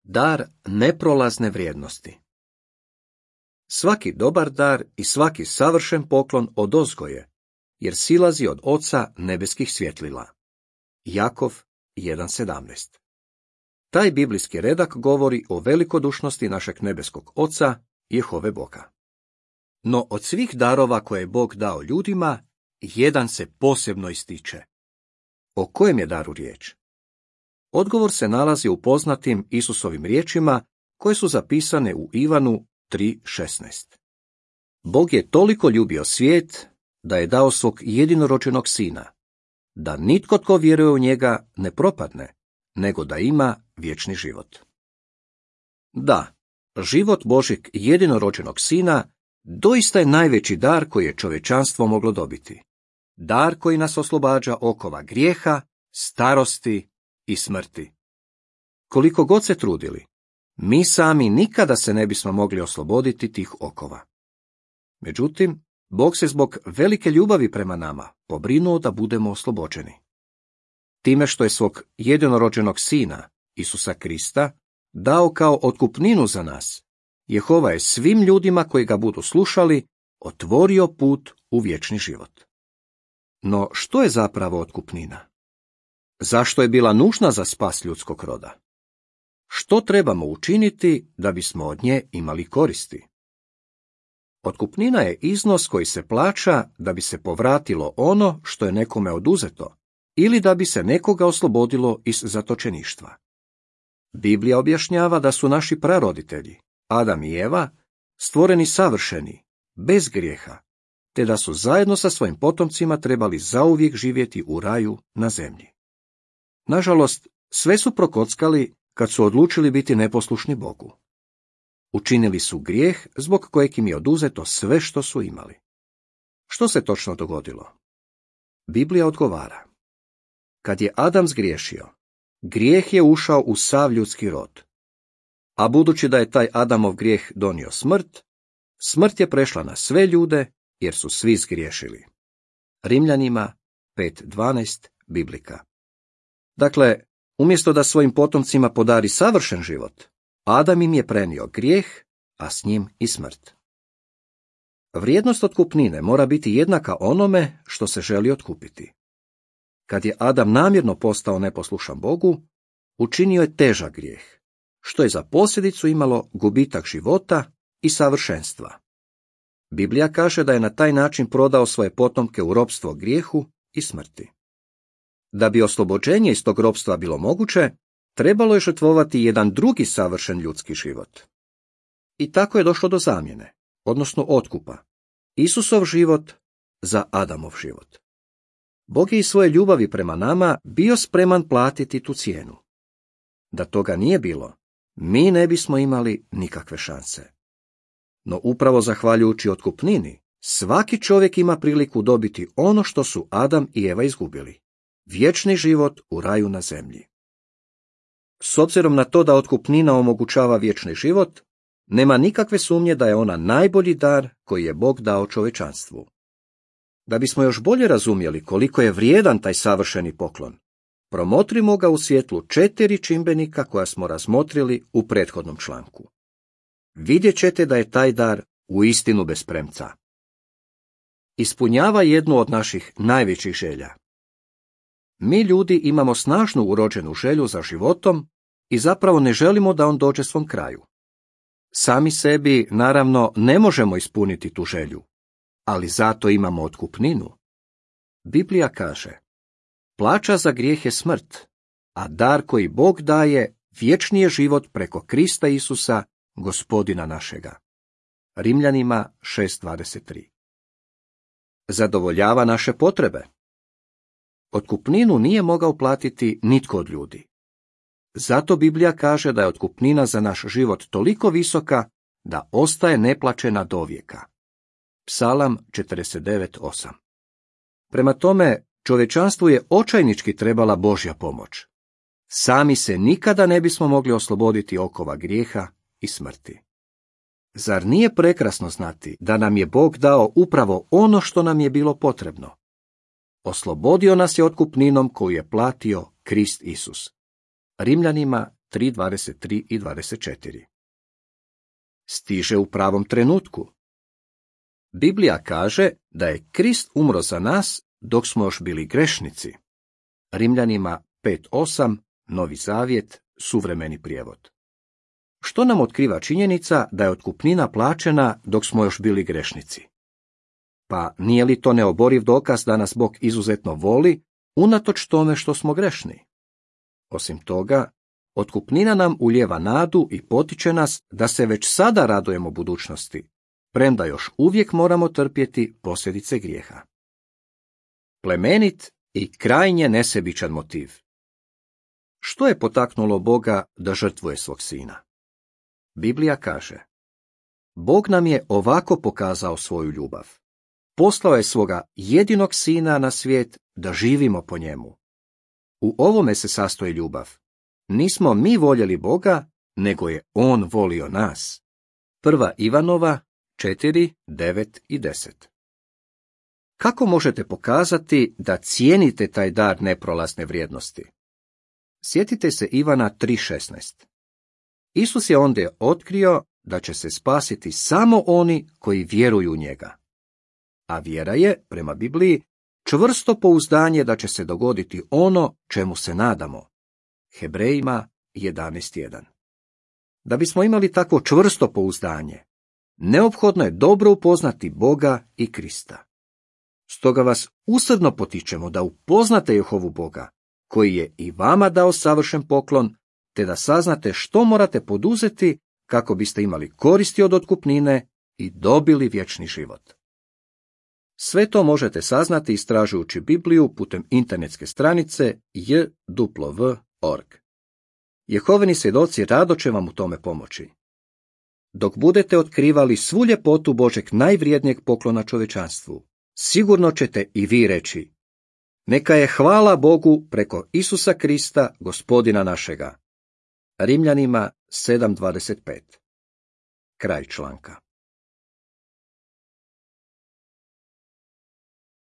Dar neprolazne vrijednosti. Svaki dobar dar i svaki savršen poklon odozgo je, jer silazi od Oca nebeskih svjetlila. Jakov 1.17. Taj biblijski redak govori o velikodušnosti našeg nebeskog Oca, Jehove Boga. No od svih darova koje je Bog dao ljudima, jedan se posebno ističe. O kojem je daru riječ? Odgovor se nalazi u poznatim Isusovim riječima koje su zapisane u Ivanu 3.16. Bog je toliko ljubio svijet da je dao svog jedinorođenog sina, da nitko tko vjeruje u njega ne propadne, nego da ima vječni život. Da, život Božjeg jedinorođenog sina doista je najveći dar koji je čovječanstvo moglo dobiti. Dar koji nas oslobađa okova grijeha, starosti i smrti. Koliko god se trudili, mi sami nikada se ne bismo mogli osloboditi tih okova. Međutim, Bog se zbog velike ljubavi prema nama pobrinuo da budemo oslobođeni. Time što je svog jedinorođenog sina, Isusa Krista, dao kao otkupninu za nas, Jehova je svim ljudima koji ga budu slušali otvorio put u vječni život. No što je zapravo otkupnina? Zašto je bila nužna za spas ljudskog roda? Što trebamo učiniti da bismo od nje imali koristi? Otkupnina je iznos koji se plaća da bi se povratilo ono što je nekome oduzeto ili da bi se nekoga oslobodilo iz zatočeništva. Biblija objašnjava da su naši praroditelji, Adam i Eva, stvoreni savršeni, bez grijeha, te da su zajedno sa svojim potomcima trebali zauvijek živjeti u raju na zemlji. Nažalost, sve su prokockali kad su odlučili biti neposlušni Bogu. Učinili su grijeh zbog kojeg im je oduzeto sve što su imali. Što se točno dogodilo? Biblija odgovara. Kad je Adam zgriješio, grijeh je ušao u sav ljudski rod. A budući da je taj Adamov grijeh donio smrt, smrt je prešla na sve ljude jer su svi zgriješili. Rimljanima 5.12 Biblika. Dakle, umjesto da svojim potomcima podari savršen život, Adam im je prenio grijeh, a s njim i smrt. Vrijednost otkupnine mora biti jednaka onome što se želi otkupiti. Kad je Adam namjerno postao neposlušan Bogu, učinio je težak grijeh, što je za posljedicu imalo gubitak života i savršenstva. Biblija kaže da je na taj način prodao svoje potomke u ropstvo grijehu i smrti. Da bi oslobođenje iz tog ropstva bilo moguće, trebalo je žrtvovati jedan drugi savršen ljudski život. I tako je došlo do zamjene, odnosno otkupa. Isusov život za Adamov život. Bog je iz svoje ljubavi prema nama bio spreman platiti tu cijenu. Da toga nije bilo, mi ne bismo imali nikakve šanse. No upravo zahvaljujući otkupnini, svaki čovjek ima priliku dobiti ono što su Adam i Eva izgubili. Vječni život u raju na zemlji. S obzirom na to da otkupnina omogućava vječni život, nema nikakve sumnje da je ona najbolji dar koji je Bog dao čovječanstvu. Da bismo još bolje razumjeli koliko je vrijedan taj savršeni poklon, promotrimo ga u svjetlu 4 čimbenika koja smo razmotrili u prethodnom članku. Vidjet ćete da je taj dar uistinu bez premca. Ispunjava jednu od naših najvećih želja. Mi ljudi imamo snažnu urođenu želju za životom i zapravo ne želimo da on dođe svom kraju. Sami sebi, naravno, ne možemo ispuniti tu želju, ali zato imamo otkupninu. Biblija kaže, plaća za grijeh je smrt, a dar koji Bog daje vječni je život preko Krista Isusa, Gospodina našega. Rimljanima 6.23. Zadovoljava naše potrebe. Otkupninu nije mogao platiti nitko od ljudi. Zato Biblija kaže da je otkupnina za naš život toliko visoka da ostaje neplaćena dovijeka. Psalam 49.8. Prema tome, čovječanstvu je očajnički trebala Božja pomoć. Sami se nikada ne bismo mogli osloboditi okova grijeha i smrti. Zar nije prekrasno znati da nam je Bog dao upravo ono što nam je bilo potrebno? Oslobodio nas je otkupninom koju je platio Krist Isus. Rimljanima 3:23 i 24. Stiže u pravom trenutku. Biblija kaže da je Krist umro za nas dok smo još bili grešnici. Rimljanima 5:8, Novi Zavjet, suvremeni prijevod. Što nam otkriva činjenica da je otkupnina plaćena dok smo još bili grešnici? Pa nije li to neoboriv dokaz da nas Bog izuzetno voli, unatoč tome što smo grešni? Osim toga, otkupnina nam ulijeva nadu i potiče nas da se već sada radujemo budućnosti, premda još uvijek moramo trpjeti posljedice grijeha. Plemenit i krajnje nesebičan motiv. Što je potaknulo Boga da žrtvuje svog sina? Biblija kaže: Bog nam je ovako pokazao svoju ljubav. Poslao je svoga jedinog sina na svijet da živimo po njemu. U ovome se sastoji ljubav. Nismo mi voljeli Boga, nego je on volio nas. 1. Ivanova 4, 9 i 10. Kako možete pokazati da cijenite taj dar neprolazne vrijednosti? Sjetite se Ivana 3:16. Isus je ondje otkrio da će se spasiti samo oni koji vjeruju u njega. A vjera je, prema Bibliji, čvrsto pouzdanje da će se dogoditi ono čemu se nadamo. Hebrejima 11:1. Da bismo imali takvo čvrsto pouzdanje, neophodno je dobro upoznati Boga i Krista. Stoga vas usrdno potičemo da upoznate Jehovu Boga, koji je i vama dao savršen poklon, te da saznate što morate poduzeti kako biste imali koristi od otkupnine i dobili vječni život. Sve to možete saznati istražujući Bibliju putem internetske stranice jw.org. Jehovini svjedoci rado će vam u tome pomoći. Dok budete otkrivali svu ljepotu Božeg najvrijednijeg poklona čovječanstvu, sigurno ćete i vi reći: Neka je hvala Bogu preko Isusa Krista, Gospodina našega. Rimljanima 7:25. Kraj članka.